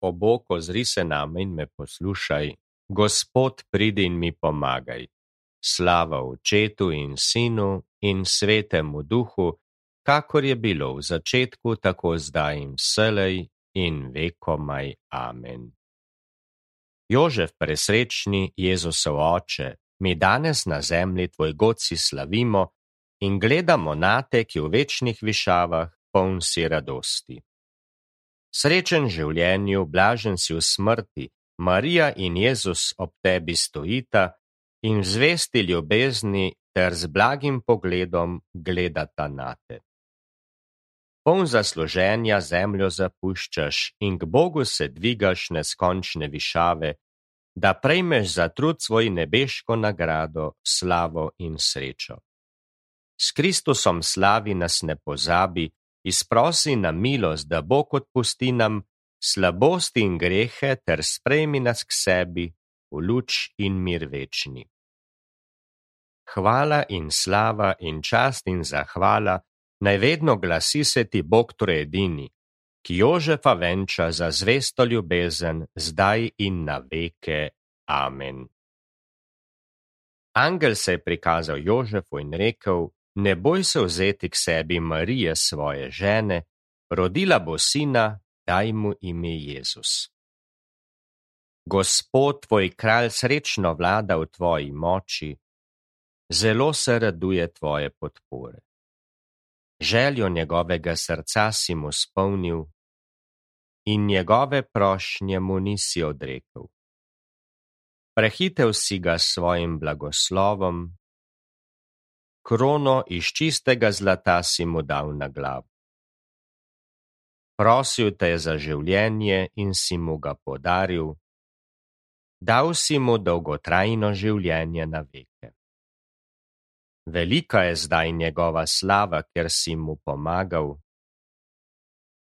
O Bog, ozri se name in me poslušaj. Gospod, pridi in mi pomagaj. Slava Očetu in Sinu in Svetemu Duhu, kakor je bilo v začetku, tako zdaj in vselej in vekomaj. Amen. Jožef presrečni, Jezusov oče, mi danes na zemlji tvoj god si slavimo in gledamo nate, ki v večnih višavah poln si radosti. Srečen življenju, blažen si v smrti, Marija in Jezus ob tebi stojita in v zvesti ljubezni ter z blagim pogledom gledata nate. Poln zasluženja zemljo zapuščaš in k Bogu se dvigaš neskončne višave, da prejmeš za trud svoj nebeško nagrado, slavo in srečo. S Kristusom slavi nas ne pozabi, izprosi na milost, da Bog odpusti nam slabosti in grehe ter sprejmi nas k sebi v luč in mir večni. Hvala in slava in čast in zahvala naj vedno glasi se ti Bog trojedini, ki Jožefa venča za zvesto ljubezen zdaj in na veke. Amen. Angel se je prikazal Jožefu in rekel: Ne boj se vzeti k sebi Marije svoje žene, rodila bo sina, daj mu ime Jezus. Gospod tvoj kralj srečno vlada v tvoji moči, zelo se raduje tvoje podpore. Željo njegovega srca si mu spolnil in njegove prošnje mu nisi odrekel. Prehitev si ga s svojim blagoslovom, krono iz čistega zlata si mu dal na glavo. Prosil te je za življenje in si mu ga podaril, dal si mu dolgotrajno življenje na veke. Velika je zdaj njegova slava, ker si mu pomagal.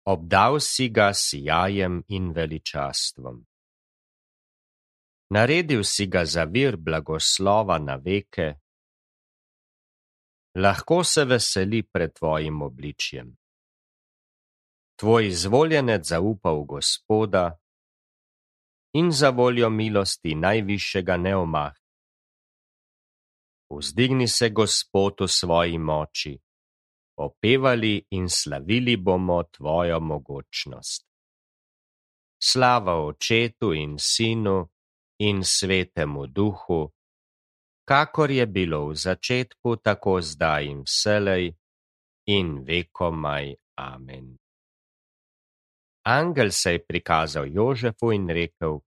Obdal si ga sijajem in veličastvom. Naredil si ga za vir blagoslova na veke. Lahko se veseli pred tvojim obličjem. Tvoj izvoljenec zaupa v Gospoda in za voljo milosti najvišjega ne omahni. Vzdigni se Gospod v svoji moči, opevali in slavili bomo tvojo mogočnost. Slava Očetu in Sinu in Svetemu Duhu, kakor je bilo v začetku, tako zdaj in vselej in vekomaj. Amen. Angel se je prikazal Jožefu in rekel: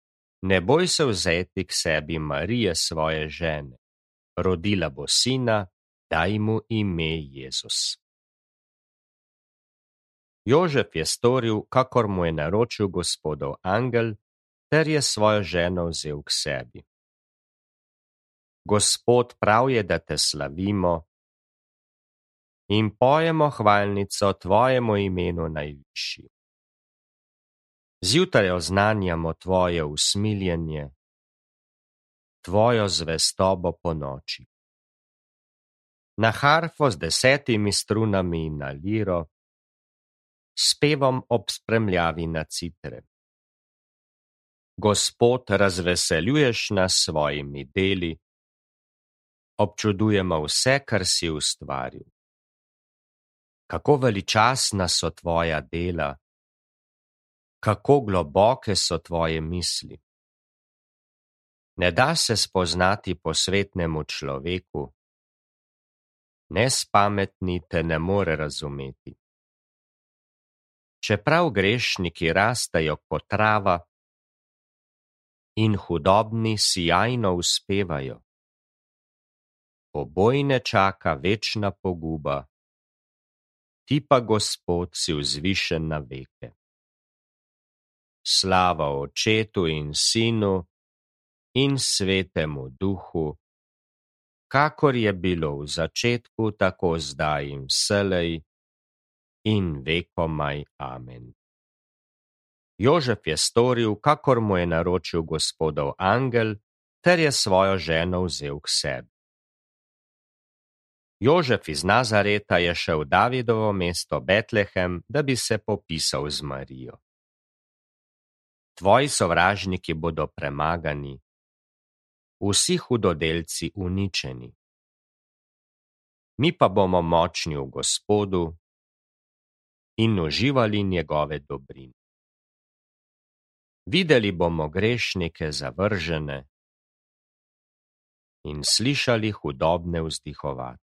Ne boj se vzeti k sebi Marije svoje žene, rodila bo sina, daj mu ime Jezus. Jožef je storil, kakor mu je naročil Gospodov angel, ter je svojo ženo vzel k sebi. Gospod, prav je, da te slavimo in pojemo hvalnico tvojemu imenu najvišji. Zjutraj oznanjamo tvoje usmiljenje, tvojo zvestobo po noči. Na harfo z 10 strunami in na liro, s pevom ob spremljavi na citre. Gospod, razveseljuješ nas svojimi deli, občudujemo vse, kar si ustvaril. Kako veličastna so tvoja dela, kako globoke so tvoje misli. Ne da se spoznati posvetnemu človeku, nespametni te ne more razumeti. Čeprav grešniki rastejo kot trava in hudobni sijajno uspevajo, obojne čaka večna poguba, ti pa, Gospod, si vzvišen na veke. Slava Očetu in Sinu in Svetemu Duhu, kakor je bilo v začetku, tako zdaj in vselej in vekomaj. Amen. Jožef je storil, kakor mu je naročil Gospodov angel, ter je svojo ženo vzel k sebi. Jožef iz Nazareta je šel v Davidovo mesto Betlehem, da bi se popisal z Marijo. Tvoji sovražniki bodo premagani, vsi hudodelci uničeni. Mi pa bomo močni v Gospodu in uživali njegove dobrine. Videli bomo grešnike zavržene in slišali hudobne vzdihovati.